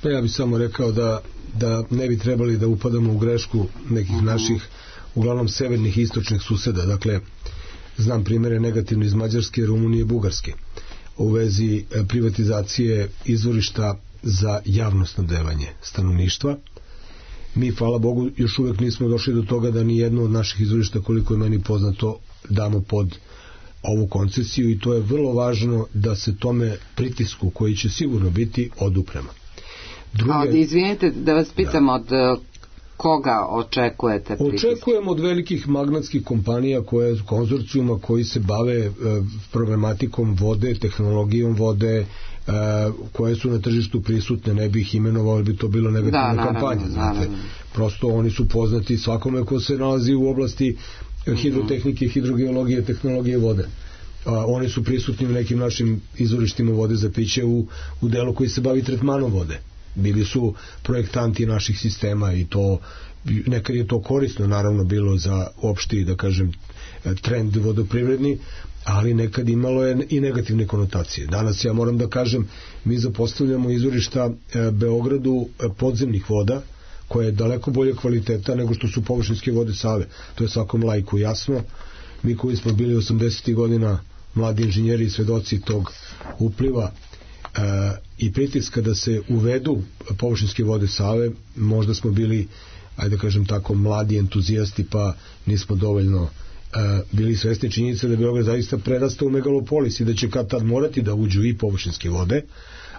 Pa ja bih samo rekao da, da ne bi trebali da upadamo u grešku nekih naših, uglavnom severnih i istočnih suseda. Dakle, znam primjere negativno iz Mađarske, Rumunije i Bugarske u vezi privatizacije izvorišta za javno snabdevanje stanovništva. Mi, hvala Bogu, još uvek nismo došli do toga da ni jedno od naših izvorišta, koliko je meni poznato, damo pod ovu koncesiju, i to je vrlo važno da se tome pritisku, koji će sigurno biti, oduprema. Druge... A, izvinite da vas pitam, da. od koga očekujete pritisak? Očekujemo od velikih magnatskih kompanija, koje, konzorcijuma koji se bave e, problematikom vode, tehnologijom vode, e, koje su na tržištu prisutne, ne bih imenovao, bi to bilo negativna da, kampanja. Naravno, znate. Naravno. Prosto oni su poznati svakome ko se nalazi u oblasti hidrotehnike, hidrogeologije, tehnologije vode. A, oni su prisutni u nekim našim izvorištima vode za piće u, u delu koji se bavi tretmanom vode. Bili su projektanti naših sistema i to, nekad je to korisno naravno bilo za opšti, da kažem, trend vodoprivredni, ali nekad imalo je i negativne konotacije. Danas ja moram da kažem, mi zapostavljamo izvorišta Beogradu podzemnih voda, koje je daleko bolje kvaliteta nego što su površinske vode Save. To je svakom laiku jasno. Mi koji smo bili osamdesetih godina mladi inženjeri i svedoci tog upliva e, i pritiska da se uvedu površinske vode Save, možda smo bili, ajde da kažem tako, mladi entuzijasti, pa nismo dovoljno e, bili svesni činjenice da Beograd zaista prerasta u megalopolis i da će kad tad morati da uđu i površinske vode,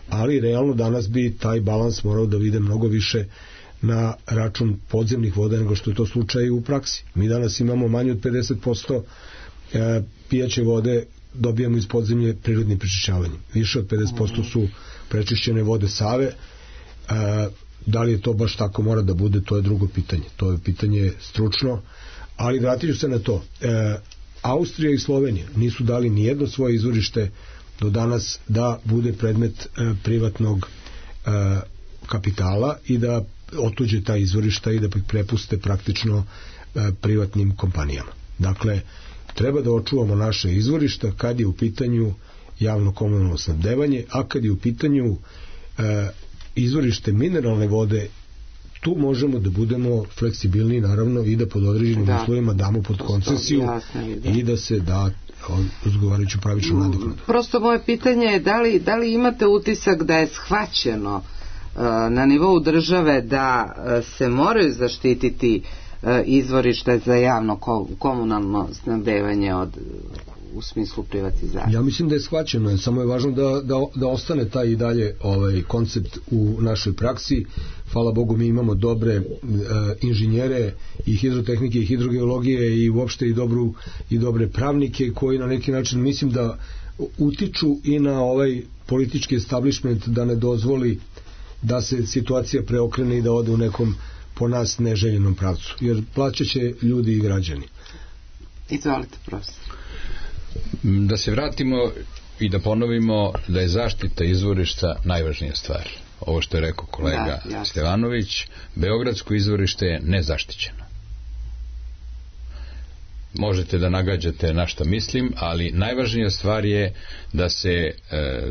ali realno danas bi taj balans morao da vide mnogo više na račun podzemnih voda nego što je to slučaj u praksi. Mi danas imamo manje od pedeset posto e, pijaće vode dobijamo iz podzemlje prirodnim prečišćavanjem. Više od pedeset posto su prečišćene vode Save. E, da li je to baš tako mora da bude, to je drugo pitanje. To je pitanje stručno, ali vratit ću se na to. E, Austrija i Slovenija nisu dali ni jedno svoje izvorište do danas da bude predmet e, privatnog e, kapitala i da otuđe ta izvorišta i da prepuste praktično e, privatnim kompanijama. Dakle, treba da očuvamo naše izvorišta kad je u pitanju javno komunalno snabdevanje, a kad je u pitanju e, izvorište mineralne vode, tu možemo da budemo fleksibilni naravno i da pod određenim da. uslovima damo pod koncesiju da. i da se da odgovarajuću pravičnu nadoknadu. Prosto moje pitanje je da li, da li imate utisak da je shvaćeno na nivou države da se moraju zaštititi izvorište za javno komunalno snabdevanje od, u smislu privatizacije? Ja mislim da je shvaćeno, samo je važno da, da, da ostane taj i dalje ovaj koncept u našoj praksi. Hvala Bogu, mi imamo dobre e, inženjere i hidrotehnike i hidrogeologije i uopšte i, dobru, i dobre pravnike koji na neki način mislim da utiču i na ovaj politički establishment da ne dozvoli da se situacija preokrene i da ode u nekom po nas neželjenom pravcu. Jer plaćat će ljudi i građani. Izvolite, profesor. Da se vratimo i da ponovimo da je zaštita izvorišta najvažnija stvar. Ovo što je rekao kolega da, Stevanović, beogradsko izvorište je nezaštićeno. Možete da nagađate na šta mislim, ali najvažnija stvar je da se e,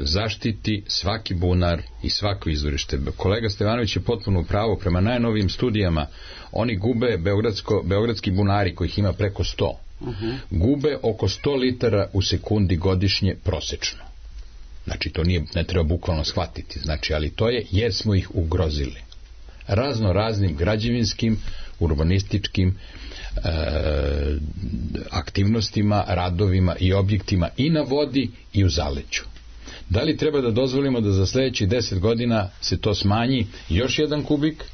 zaštiti svaki bunar i svako izvorište. Kolega Stevanović je potpuno pravo, prema najnovijim studijama oni gube beogradsko, beogradski bunari kojih ima preko sto. Uh-huh. Gube oko sto litara u sekundi godišnje prosečno. Znači, to nije, ne treba bukvalno shvatiti. Znači, ali to je jer smo ih ugrozili. Razno raznim građevinskim, urbanističkim e, aktivnostima, radovima i objektima i na vodi i u zaleđu. Da li treba da dozvolimo da za sljedećih deset godina se to smanji još jedan kubik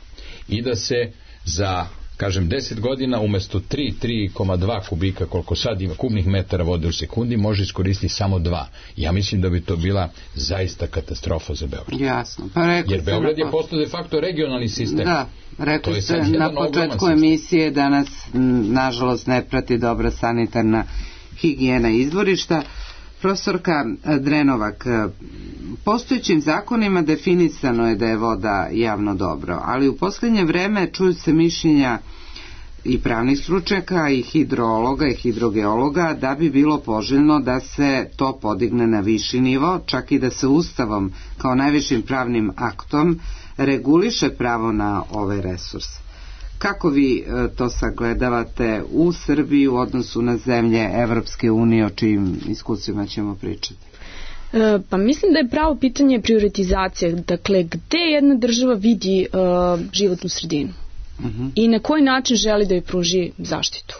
i da se za, kažem, deset godina umesto tri, tri zarez dva kubika koliko sad ima kubnih metara vode u sekundi može iskoristiti samo dva. Ja mislim da bi to bila zaista katastrofa za Beograd. Jasno. Pa jer Beograd je postao de facto regionalni sistem. Da, rekli ste na početku emisije da nas nažalost ne prati dobra sanitarna higijena izvorišta. Profesorka Drenovak, postojećim zakonima definisano je da je voda javno dobro, ali u posljednje vreme čuju se mišljenja i pravnih stručnjaka i hidrologa i hidrogeologa da bi bilo poželjno da se to podigne na viši nivo, čak i da se Ustavom kao najvišim pravnim aktom reguliše pravo na ove resurse. Kako vi to sagledavate u Srbiji u odnosu na zemlje Evropske unije, o čijim iskustvima ćemo pričati? E, pa mislim da je pravo pitanje prioritizacije. Dakle, gde jedna država vidi uh, životnu sredinu uh-huh. i na koji način želi da joj pruži zaštitu.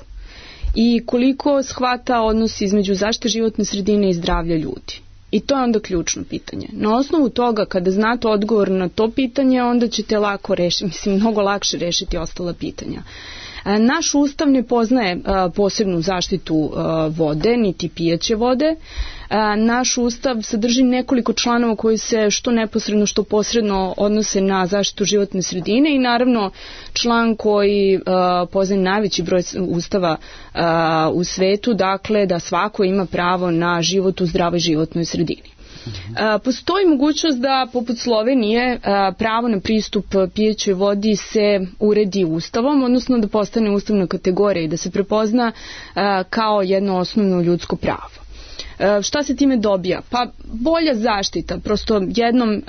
I koliko shvata odnos između zaštite životne sredine i zdravlja ljudi. I to je onda ključno pitanje. Na osnovu toga, kada znate odgovor na to pitanje, onda ćete lako rešiti, mislim, mnogo lakše rešiti ostala pitanja. Naš ustav ne poznaje posebnu zaštitu vode, niti pijaće vode. Naš ustav sadrži nekoliko članova koji se što neposredno, što posredno odnose na zaštitu životne sredine i naravno član koji poznaje najveći broj ustava u svetu, dakle da svako ima pravo na život u zdravoj životnoj sredini. Postoji mogućnost da poput Slovenije pravo na pristup pijećoj vodi se uredi ustavom, odnosno da postane ustavna kategorija i da se prepozna kao jedno osnovno ljudsko pravo. Šta se time dobija? Pa bolja zaštita, prosto jednom e,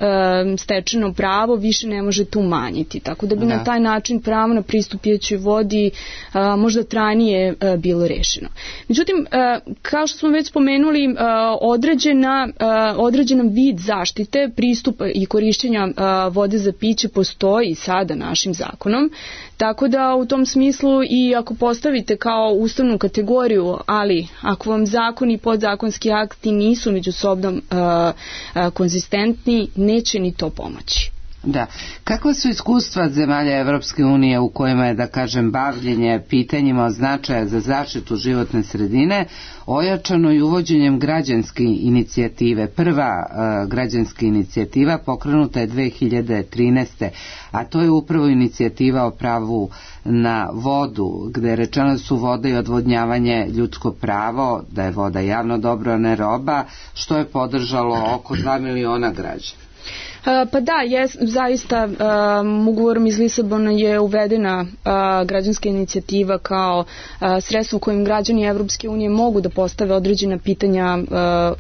stečeno pravo više ne možete umanjiti, tako da bi da. na taj način pravo na pristup pijećoj vodi a, možda trajnije a, bilo rešeno. Međutim, a, kao što smo već spomenuli, a, određena, a, određena vid zaštite, pristupa i korišćenja a, vode za piće postoji sada našim zakonom, tako da u tom smislu i ako postavite kao ustavnu kategoriju, ali ako vam zakon i podzakonski akti nisu međusobno uh, uh, konzistentni, neće ni to pomoći. Da. Kakva su iskustva zemalja Evropske unije u kojima je, da kažem, bavljenje pitanjima od značaja za zaštitu životne sredine ojačano i uvođenjem građanske inicijative? Prva uh, građanska inicijativa pokrenuta je dve hiljade trinaeste. a to je upravo inicijativa o pravu na vodu, gde je rečeno da su voda i odvodnjavanje ljudsko pravo, da je voda javno dobro, a ne roba, što je podržalo oko dva miliona građana. Pa da, je, zaista um, ugovorom iz Lisabona je uvedena uh, građanska inicijativa kao uh, sredstvo kojim građani Evropske unije mogu da postave određena pitanja, uh,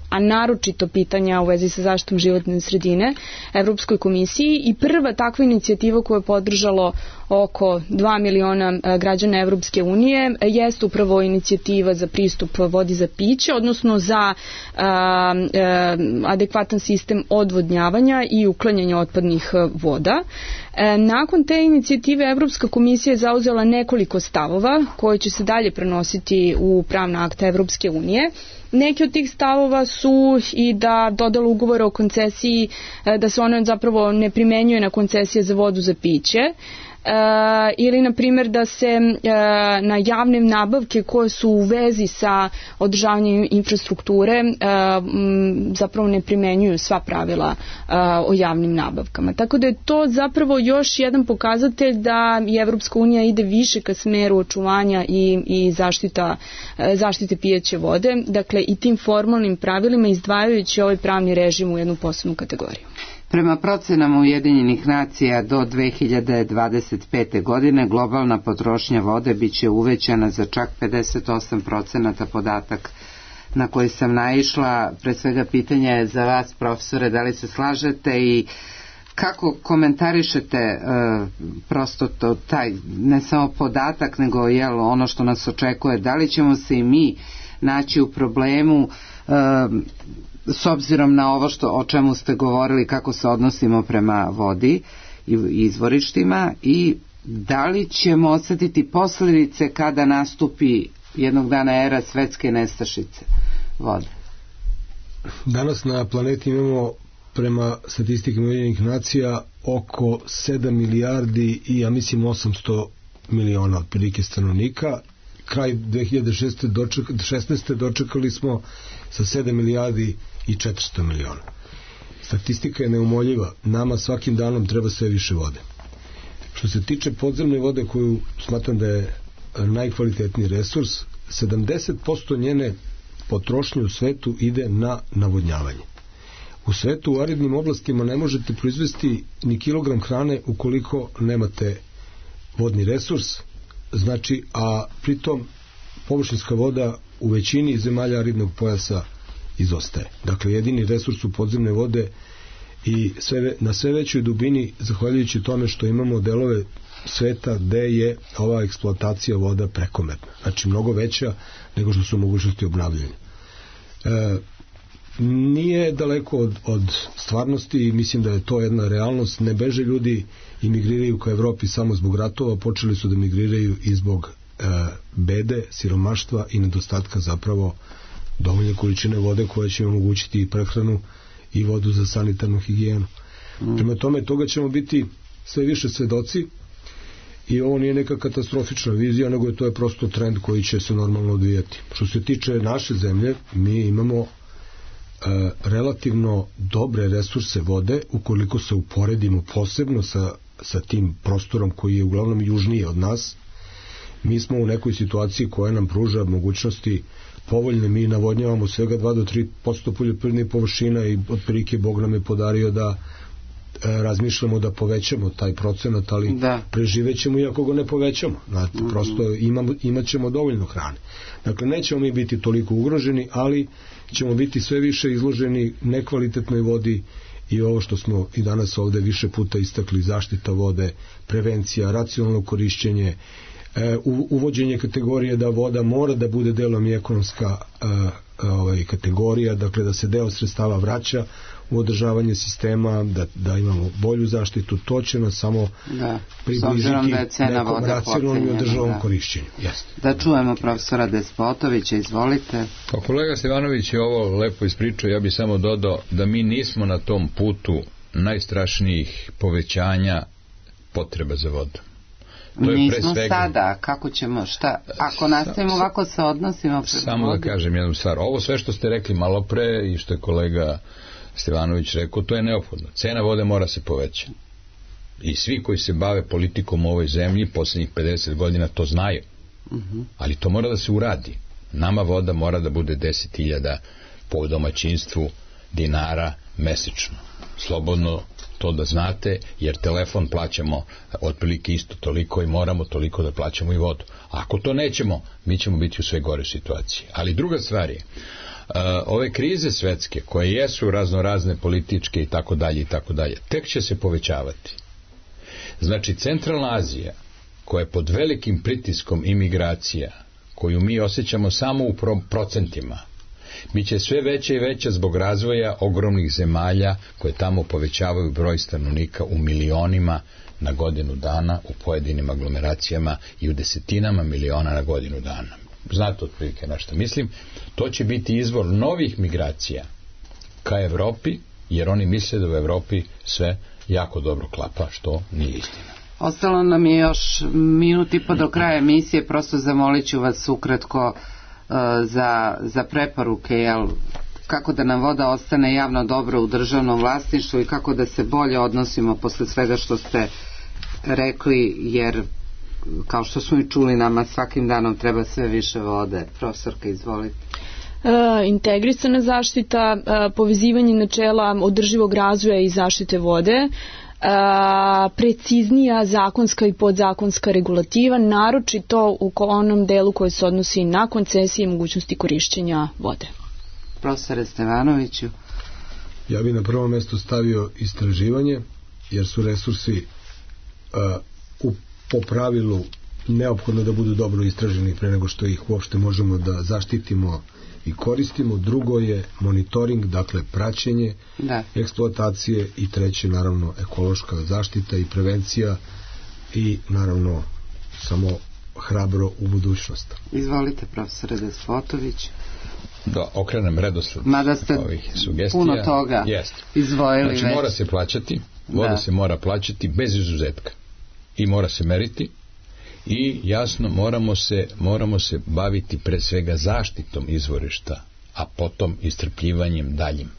a naročito pitanja u vezi sa zaštitom životne sredine Evropskoj komisiji, i prva takva inicijativa koju je podržalo oko dva miliona građana Evropske unije jeste upravo inicijativa za pristup vodi za piće, odnosno za a, a, adekvatan sistem odvodnjavanja i uklanjanja otpadnih voda. E, nakon te inicijative Evropska komisija je zauzela nekoliko stavova koje će se dalje prenositi u pravna akta Evropske unije. Neki od tih stavova su i da dodala ugovora o koncesiji, da se ona zapravo ne primenjuje na koncesije za vodu za piće, Uh, ili na primjer da se uh, na javne nabavke koje su u vezi sa održavanjem infrastrukture uh, m, zapravo ne primenjuju sva pravila uh, o javnim nabavkama. Tako da je to zapravo još jedan pokazatelj da i Evropska unija ide više ka smeru očuvanja i, i zaštita, uh, zaštite pijeće vode, dakle i tim formalnim pravilima izdvajajući ovaj pravni režim u jednu posebnu kategoriju. Prema procenama Ujedinjenih nacija do dve hiljade dvadeset pete. godine globalna potrošnja vode biće uvećana za čak pedeset osam procenata, podatak na koji sam naišla. Pre svega pitanje je za vas, profesore, da li se slažete i kako komentarišete e, prosto to, taj ne samo podatak nego jel, ono što nas očekuje, da li ćemo se i mi naći u problemu s obzirom na ovo što, o čemu ste govorili, kako se odnosimo prema vodi i izvorištima, i da li ćemo osjetiti posljedice kada nastupi jednog dana era svetske nestašice vode? Danas na planeti imamo, prema statistikama Ujedinjenih nacija, oko sedam milijardi i ja mislim osamsto miliona otprilike stanovnika. Kraj dve hiljade šesnaeste. dočekali smo sa sedam milijardi i četiristo miliona. Statistika je neumoljiva. Nama svakim danom treba sve više vode. Što se tiče podzemne vode, koju smatram da je najkvalitetniji resurs, sedamdeset posto njene potrošnje u svetu ide na navodnjavanje. U svetu u aridnim oblastima ne možete proizvesti ni kilogram hrane ukoliko nemate vodni resurs, znači, a pritom površinska voda u većini zemalja aridnog pojasa izostaje. Dakle, jedini resurs su podzemne vode i sve, na sve većoj dubini, zahvaljujući tome što imamo delove sveta gde je ova eksploatacija voda prekomerna. Znači, mnogo veća nego što su mogućnosti obnavljanja. E, nije daleko od, od stvarnosti i mislim da je to jedna realnost. Ne beže ljudi i migriraju ka Evropi samo zbog ratova, počeli su da migriraju i zbog e, bede, siromaštva i nedostatka zapravo dovoljne količine vode koja će omogućiti i prehranu i vodu za sanitarnu higijenu. Mm. Prema tome, toga ćemo biti sve više svedoci i ovo nije neka katastrofična vizija, nego je to je prosto trend koji će se normalno odvijati. Što se tiče naše zemlje, mi imamo e, relativno dobre resurse vode ukoliko se uporedimo posebno sa, sa tim prostorom koji je uglavnom južnije od nas. Mi smo u nekoj situaciji koja nam pruža mogućnosti povoljne. Mi navodnjavamo svega dva do tri posto poljoprivrednih površina i otprilike Bog nam je podario da e, razmišljamo da povećamo taj procenat, ali da. Preživećemo i ako ga ne povećamo. Znate, mm-hmm. prosto imamo, imat ćemo dovoljno hrane. Dakle, nećemo mi biti toliko ugroženi, ali ćemo biti sve više izloženi nekvalitetnoj vodi i ovo što smo i danas ovde više puta istakli, zaštita vode, prevencija, racionalno korišćenje, E, uvođenje kategorije da voda mora da bude delom i ekonomska e, ovaj, kategorija, dakle da se deo sredstava vraća u održavanje sistema, da, da imamo bolju zaštitu, to će nas samo da, približiti da nekom racionalnom i održavom korišćenju. Yes. Da čujemo profesora Despotovića, izvolite. Pa kolega Stevanović je ovo lepo ispričao, ja bih samo dodao da mi nismo na tom putu najstrašnijih povećanja potreba za vodom. Nismo sada, kako ćemo, šta, ako nastavimo ovako se odnosimo prema samo vodi. Da kažem jednu stvar, ovo sve što ste rekli malo pre i što je kolega Stevanović rekao, to je neophodno. Cena vode mora se povećati. I svi koji se bave politikom u ovoj zemlji poslednjih pedeset godina to znaju. Uh-huh. Ali to mora da se uradi. Nama voda mora da bude deset hiljada po domaćinstvu dinara mesečno. Slobodno to da znate, jer telefon plaćamo otprilike isto toliko i moramo toliko da plaćamo i vodu. Ako to nećemo, mi ćemo biti u sve gore situaciji. Ali druga stvar je, uh, ove krize svetske, koje jesu razno razne političke i tako dalje i tako dalje, tek će se povećavati. Znači, Centralna Azija, koja je pod velikim pritiskom imigracija, koju mi osjećamo samo u pro- procentima, biće sve veća i veća zbog razvoja ogromnih zemalja koje tamo povećavaju broj stanovnika u milionima na godinu dana, u pojedinim aglomeracijama i u desetinama miliona na godinu dana. Znate otprilike na što mislim. To će biti izvor novih migracija ka Evropi, jer oni misle da u Evropi sve jako dobro klapa, što nije istina. Ostalo nam je još minut i po do kraja emisije, prosto zamolit ću vas ukratko za, za preporuke, jel, kako da nam voda ostane javno dobro u državnom vlasništvu i kako da se bolje odnosimo posle svega što ste rekli, jer kao što smo i čuli, nama svakim danom treba sve više vode. Profesorka, izvolite. E, integrisana zaštita, e, povezivanje načela održivog razvoja i zaštite vode, A, preciznija zakonska i podzakonska regulativa, naročito u onom delu koji se odnosi na koncesije i mogućnosti korišćenja vode. Profesore Stevanoviću. Ja bih na prvo mesto stavio istraživanje, jer su resursi uh, u, po pravilu neophodno da budu dobro istraženi pre nego što ih uopšte možemo da zaštitimo i koristimo. Drugo je monitoring, dakle praćenje da. eksploatacije, i treće naravno ekološka zaštita i prevencija, i naravno samo hrabro u budućnost. Izvolite, profesore Despotović. Da okrenem redosled Mada ste ovih sugestija. Puno toga Jest. izdvojili znači, već. mora se plaćati, voda da. se mora plaćati bez izuzetka i mora se meriti i jasno moramo se, moramo se baviti pre svega zaštitom izvorišta, a potom istrpljivanjem daljim.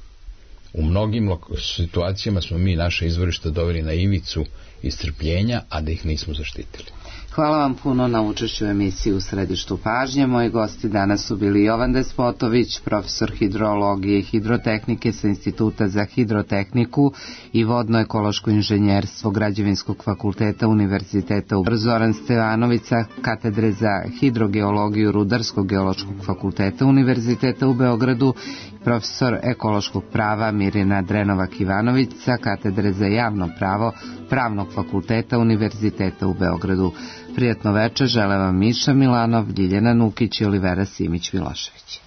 U mnogim situacijama smo mi naše izvorišta doveli na ivicu istrpljenja, a da ih nismo zaštitili. Hvala vam puno na učešću u emisiji U središtu pažnje. Moji gosti danas su bili Jovan Despotović, profesor hidrologije i hidrotehnike sa Instituta za hidrotehniku i vodno-ekološko inženjerstvo Građevinskog fakulteta Univerziteta u Zoran Stevanović sa katedre za hidrogeologiju Rudarskog geološkog fakulteta Univerziteta u Beogradu, profesor ekološkog prava Mirjana Drenovak-Ivanović sa katedre za javno pravo Pravnog fakulteta Univerziteta u Beogradu. Prijatno večer žele vam Miša Milanov, Ljiljana Nukić i Olivera Simić-Milošević.